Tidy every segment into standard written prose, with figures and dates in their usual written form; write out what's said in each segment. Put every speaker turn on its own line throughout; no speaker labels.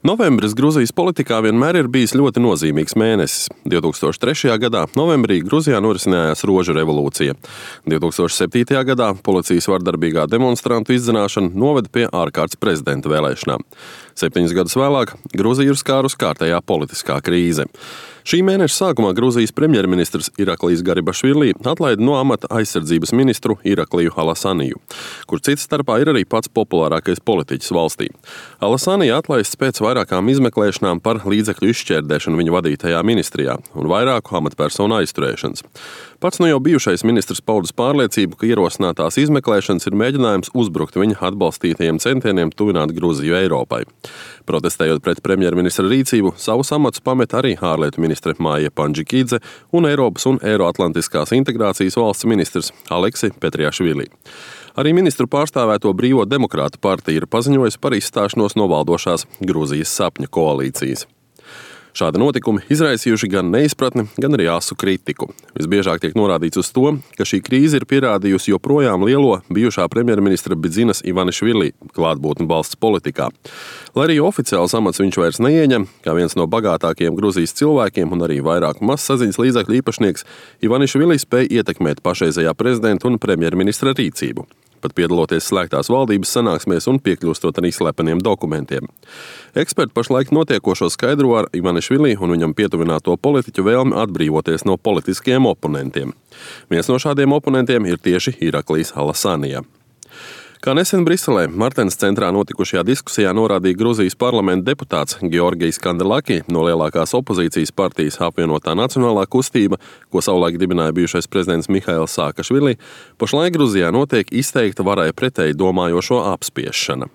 Novembris Gruzijas politikā vienmēr ir bijis ļoti nozīmīgs mēnesis. 2003. gadā novembrī Gruzijā norisinājās Rožu revolūcija. 2007. gadā policijas vardarbīgā demonstrantu izzināšana noveda pie ārkārtas prezidenta vēlēšanām. 7 gadus vēlāk Gruziju ir skārus kārtējā politiskā krīze. Šī mēneša sākumā Gruzijas premjerministrs Iraklijs Garibašvili atlaida no amata aizsardzības ministru Irakliju Alasaniju, kur cits starpā ir arī pats populārākais politiķis valstī. Alasanija atlaists pēc vairākām izmeklēšanām par līdzekļu izšķērdēšanu viņa vadītajā ministrijā un vairāku amatpersonu aizturēšanas. Pats no jau bijušais ministrs paudis pārliecību, ka ierosinātās izmeklēšanas ir mēģinājums uzbrukt viņa atbalstītajiem centieniem tuvināt Gruziju Eiropai. Protestējot pret premjerministra rīcību, savus amatus pamet arī ārlietu ministre Māja Pandžikidze un Eiropas un Eiroatlantiskās integrācijas valsts ministrs Aleksi Petriašvili. Arī ministru pārstāvēto Brīvo demokrātu partija ir paziņojusi par izstāšanos no valdošās Gruzijas sapņu koalīcijas. Šādi notikumi izraisījuši gan neizpratni, gan arī asu kritiku. Visbiežāk tiek norādīts uz to, ka šī krīze ir pierādījusi joprojām lielo bijušā premjerministra Bidzinas Ivanišvili klātbūtni valsts politikā. Lai arī oficiāls amats viņš vairs neieņem, kā viens no bagātākajiem Gruzijas cilvēkiem un arī vairāku mazsaziņas līdzekļu īpašnieks, Ivanišvili spēja ietekmēt pašreizējā prezidenta un premjerministra rīcību, pat piedaloties slēgtās valdības sanāksmēs un piekļūstot arī slepeniem dokumentiem. Eksperti pašlaik notiekošo skaidro ar Ivanišvili un viņam pietuvināto politiķu vēlmi atbrīvoties no politiskiem oponentiem. Viens no šādiem oponentiem ir tieši Iraklijs Alasanija. Kā nesen Briselē Martens centrā notikušajā diskusijā norādīja Gruzijas parlamenta deputāts Georgijs Kandelaki no lielākās opozīcijas partijas Apvienotā nacionālā kustība, ko savulaik dibināja bijušais prezidents Mihails Saakašvili, pašlaik Gruzijā notiek izteikta varai pretēji domājošo apspiešana.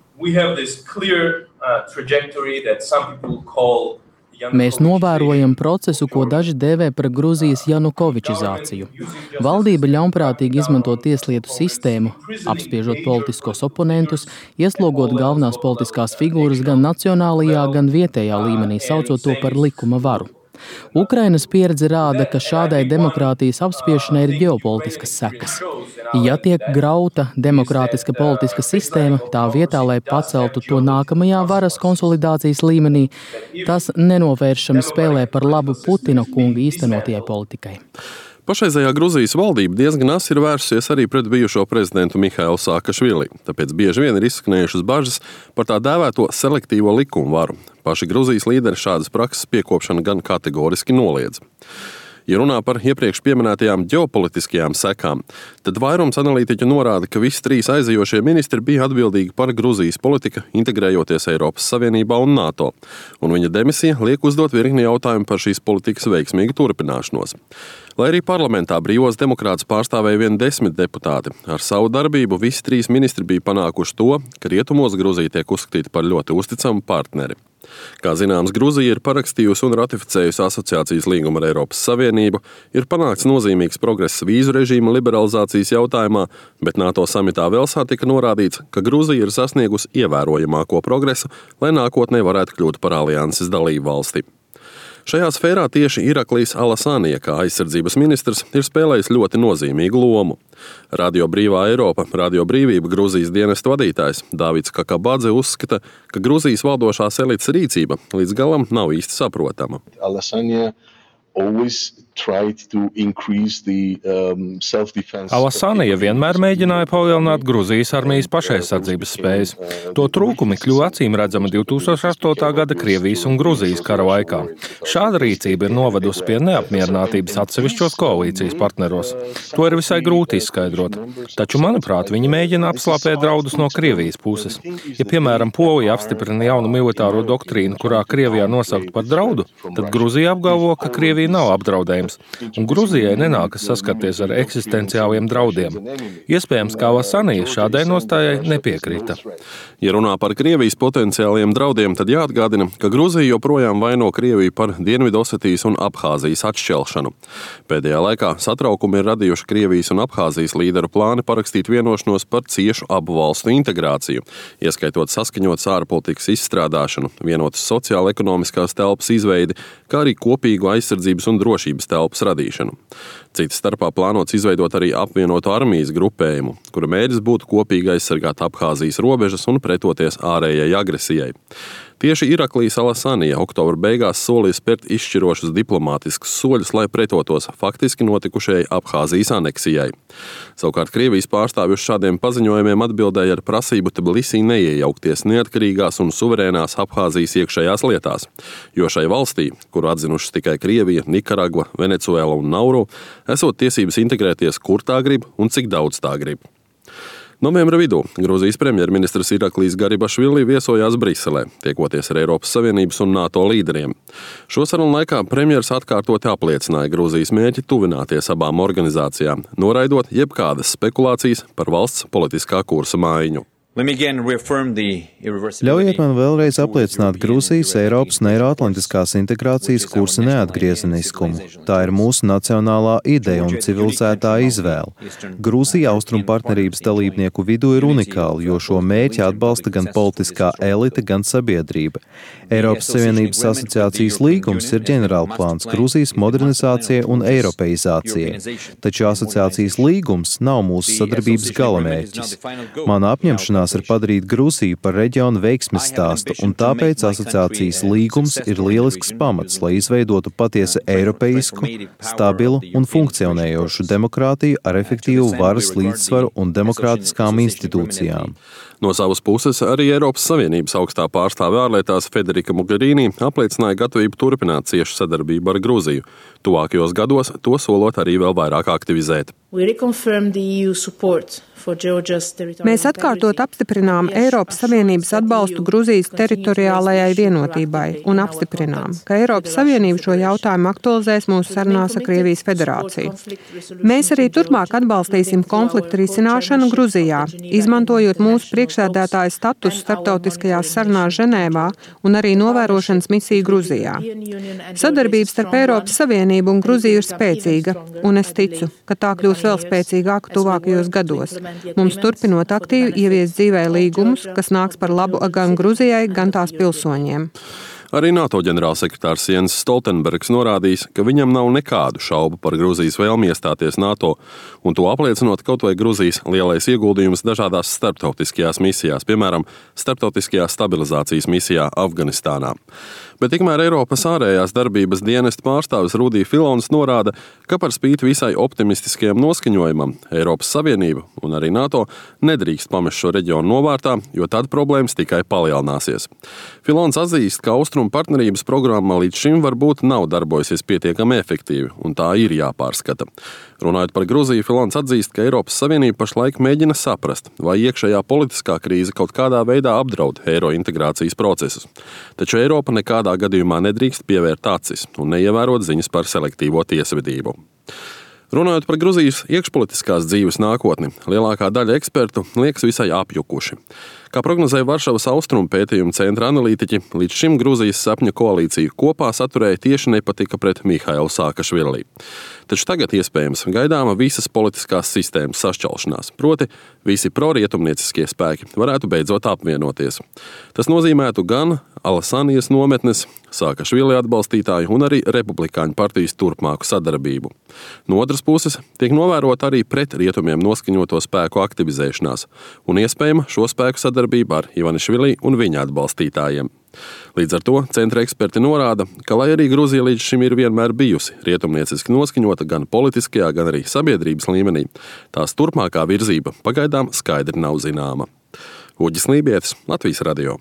Mēs novērojam procesu, ko daži dēvē par Gruzijas janukovičizāciju. Valdība ļaunprātīgi izmanto tieslietu sistēmu, apspiežot politiskos oponentus, ieslogot galvenās politiskās figūras gan nacionālajā, gan vietējā līmenī, saucot to par likuma varu. Ukrainas pieredze rāda, ka šādai demokrātijas apspiešanai ir ģeopolitiskas sekas. Ja tiek grauta demokrātiska politiska sistēma, tā vietā, lai paceltu to nākamajā varas konsolidācijas līmenī, tas nenovēršami spēlē par labu Putina kunga īstenotajai politikai.
Pašreizējā Gruzijas valdība diezgan asi ir vērsusies arī pret bijušo prezidentu Mihailu Saakašvili, tāpēc bieži vien ir izskanējušas bažas par tā dēvēto selektīvo likumu varu. Paši Gruzijas līderi šādas prakses piekopšanu gan kategoriski noliedz. Ja runā par iepriekš pieminētajām ģeopolitiskajām sekām, tad vairums analītiķu norāda, ka visi 3 aizejošie ministri bija atbildīgi par Gruzijas politiku, integrējoties Eiropas Savienībā un NATO, un viņa demisija liek uzdot virkni jautājumu par šīs politikas veiksmīgu turpināšanos. Lai arī parlamentā Brīvos demokrātus pārstāvēja vien 10 deputāti, ar savu darbību visi 3 ministri bija panākuši to, ka rietumos Gruzija tiek uzskatīta par ļoti uzticamu partneri. Kā zināms, Gruzija ir parakstījusi un ratificējusi asociācijas līgumu ar Eiropas Savienību, ir panākts nozīmīgs progress vīzu režīma liberalizācijas jautājumā, bet NATO samitā Velsā tika norādīts, ka Gruzija ir sasniegusi ievērojamāko progresu, lai nākotnē varētu kļūt par alianses dalību valsti. Šajā sfērā tieši Iraklijs Alasanija, kā aizsardzības ministrs, ir spēlējis ļoti nozīmīgu lomu. Radio Brīvā Eiropa, Radio Brīvība Gruzijas dienestu vadītājs Dāvids Kakabadze uzskata, ka Gruzijas valdošās elites rīcība līdz galam nav īsti saprotama.
Alasanija vienmēr mēģināja palielināt Gruzijas armijas pašaizsardzības spējas. To trūkumi kļuva acīmredzami 2008. gada Krievijas un Gruzijas kara laikā. Šāda rīcība ir novedusi pie neapmierinātības atsevišķos koalīcijas partneros. To ir visai grūti izskaidrot. Taču, manuprāt, viņi mēģina apslāpēt draudus no Krievijas puses. Ja, piemēram, Polija apstiprina jaunu militāro doktrīnu, kurā Krievijā nosaukt par draudu, tad Gruzija apgalvo, ka Krievija nav apdraudējums, un Gruzijai nenākas saskarties ar eksistenciāliem draudiem. Iespējams, ka Alasanija šādai nostājai nepiekrita.
Ja runā par Krievijas potenciāliem draudiem, tad jāatgādina, ka Gruzija joprojām vaino Krieviju par Dienvidosetijas un Abhāzijas atšķelšanu. Pēdējā laikā satraukumi ir radījuši Krievijas un Abhāzijas līderu plāni parakstīt vienošanos par ciešu abu valstu integrāciju, ieskaitot saskaņotas ārpolitikas izstrādāšanu, vienotas sociāla-ekonomiskās telpas izveidi, kā arī kopīgu aizsardzību un drošības telpas radīšanu. Cita starpā plānots izveidot arī apvienoto armijas grupējumu, kura mērķis būtu kopīgi aizsargāt Abhāzijas robežas un pretoties ārējai agresijai. Tieši Iraklijas Alasanija oktobra beigās solīja spērt izšķirošus diplomātiskus soļus, lai pretotos faktiski notikušajai Abhāzijas aneksijai. Savukārt Krievijas pārstāvji uz šādiem paziņojumiem atbildēja ar prasību Tbilisī neiejaukties neatkarīgās un suverēnās Abhāzijas iekšējās lietās, jo šai valstī, kuru atzinušas tikai Krievija, Nikaragva, Venecuēla un Nauru, esot tiesības integrēties, kur tā grib un cik daudz tā grib. Novembra vidū Grūzijas premjerministrs Iraklijs Garibašvili viesojās Briselē, tiekoties ar Eiropas Savienības un NATO līderiem. Šo sarunu laikā premjers atkārtoti apliecināja Grūzijas mērķi tuvināties abām organizācijām, noraidot jebkādas spekulācijas par valsts politiskā kursa maiņu.
Ļaujiet man vēlreiz apliecināt Grūzijas, Eiropas un Eiroatlantiskās integrācijas kursa neatgriezeniskumu. Tā ir mūsu nacionālā ideja un civilizētā izvēle. Grūzija austrumu partnerības dalībnieku vidū ir unikāla, jo šo mērķi atbalsta gan politiskā elite, gan sabiedrība. Eiropas Savienības asociācijas līgums ir ģenerālplāns Grūzijas modernizācijai un eiropeizācijai, taču asociācijas līgums nav mūsu sadarbības galamērķis. Mana apņemšanās ir padarīt Grūziju par reģionu veiksmes stāstu, un tāpēc asociācijas līgums ir lielisks pamats, lai izveidotu patiesi eiropeisku, stabilu un funkcionējošu demokrātiju ar efektīvu varas līdzsvaru un demokrātiskām institūcijām.
No savas puses arī Eiropas Savienības augstā pārstāve ārlietās Federica Mogherini apliecināja gatavību turpināt ciešu sadarbību ar Grūziju, tuvākajos gados to solot arī vēl vairāk aktivizēt.
Mēs atkārtot apstiprinām Eiropas Savienības atbalstu Grūzijas teritoriālajai vienotībai un apstiprinām, ka Eiropas Savienība šo jautājumu aktualizēs mūsu sarunās ar Krievijas federāciju. Mēs arī turpmāk atbalstīsim konfliktu risināšanu Grūzijā, izmantojot mūsu priekšsēdētāja statusu starptautiskajās sarunās Ženēvā un arī novērošanas misiju Grūzijā. Sadarbība starp Eiropas Savienību un Grūziju ir spēcīga, un es ticu, ka tā kļūs vēl spēcīgāka tuvākajos gados. Mums turpinot aktīvi ieviest dzīvē līgumus, kas nāks par labu gan Grūzijai, gan tās pilsoņiem.
Arī NATO ģenerālsekretārs Jens Stoltenbergs norādījis, ka viņam nav nekādu šaubu par Grūzijas vēlmi iestāties NATO, un to apliecinot kaut vai Grūzijas lielais ieguldījums dažādās starptautiskajās misijās, piemēram, starptautiskajā stabilizācijas misijā Afganistānā. Bet tikmēr Eiropas ārējās darbības dienesta pārstāvis Rudī Filons norāda, ka par spīti visai optimistiskajam noskaņojumam Eiropas Savienība un arī NATO nedrīkst pamest šo reģionu novārtā, jo tad problēmas tikai palielināsies. Filons atzīst, ka austrumu partnerības programma līdz šim varbūt nav darbojusies pietiekami efektīvi, un tā ir jāpārskata. Runājot par Grūziju, Filons atzīst, ka Eiropas Savienība pašlaik mēģina saprast, vai iekšējā politiskā krīze kaut kādā veidā apdraud eiro integrācijas procesus. Taču Eiropa nekādā gadījumā nedrīkst pievērt acis un neievērot ziņas par selektīvo tiesvedību. Runājot par Grūzijas iekšpolitiskās dzīves nākotni, lielākā daļa ekspertu liekas visai apjukuši. Kā prognozēja Varšavas austrumu pētījumu centra analītiķi, līdz šim Grūzijas sapņu koalīciju kopā saturēja tieši nepatika pret Mihailu Saakašvili. Taču tagad iespējams gaidāma visas politiskās sistēmas sašķelšanās, proti visi prorietumnieciskie spēki varētu beidzot apvienoties. Tas nozīmētu gan Alasanijas nometnes, Saakašvili atbalstītāju un arī Republikāņu partijas turpmāku sadarbību. No otras puses, tiek novērota arī pret rietumiem noskaņoto spēku aktivizēšanās un iespējama šo spēku sadarbība ar Ivanišvili un viņa atbalstītājiem. Līdz ar to centra eksperti norāda, ka, lai arī Grūzija līdz šim ir vienmēr bijusi rietumnieciski noskaņota gan politiskajā, gan arī sabiedrības līmenī, tās turpmākā virzība pagaidām skaidri nav zināma. Uģis Lībietis, Latvijas radio.